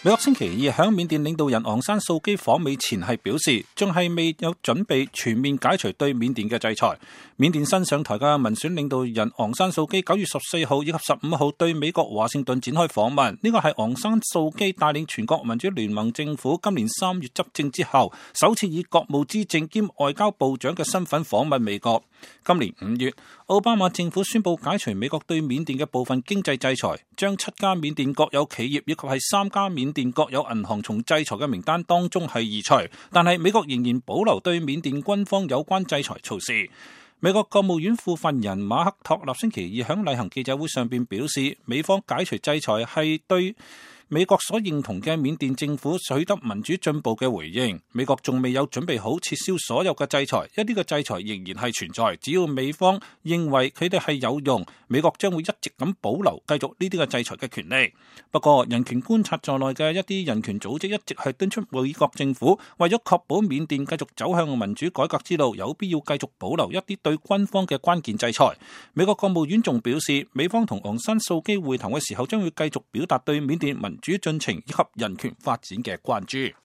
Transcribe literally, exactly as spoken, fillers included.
美國星期二響緬甸領導人昂山素基訪美前係表示，仲係未有準備全面解除對緬甸嘅制裁。緬甸新上台嘅民選領導人昂山素基九月十四號以及十五號對美國華盛頓展開訪問，呢個係昂山素基帶領全國民主聯盟政府今年三月執政之後，首次以國務資政兼外交部長嘅身份訪問美國。今年五月，奧巴馬政府宣布解除美國對緬甸嘅部分經濟制裁，將七家緬甸國有企業以及係三家緬甸國有銀行從制裁嘅名單當中係移除，但係美國仍然保留對緬甸軍方有關制裁措施。美國國務院副發言人馬克托納星期二響例行記者會上邊表示，美方解除制裁係對美國所認同嘅緬甸政府取得民主進步嘅回應。美國仲未有準備好撤銷所有嘅制裁，一啲嘅制裁仍然係存在。只要美方認為佢哋係有用，美國將會一直咁保留繼續呢啲嘅制裁嘅權利。不過，人權觀察在內嘅一啲人權組織一直係敦促美國政府為咗確保緬甸繼續走向民主改革之路，有必要繼續保留一啲對軍方嘅關鍵制裁。美國國務院仲表示，美方同昂山素基會談嘅時候，將會繼續表達對緬甸民主進程以及人權發展嘅關注。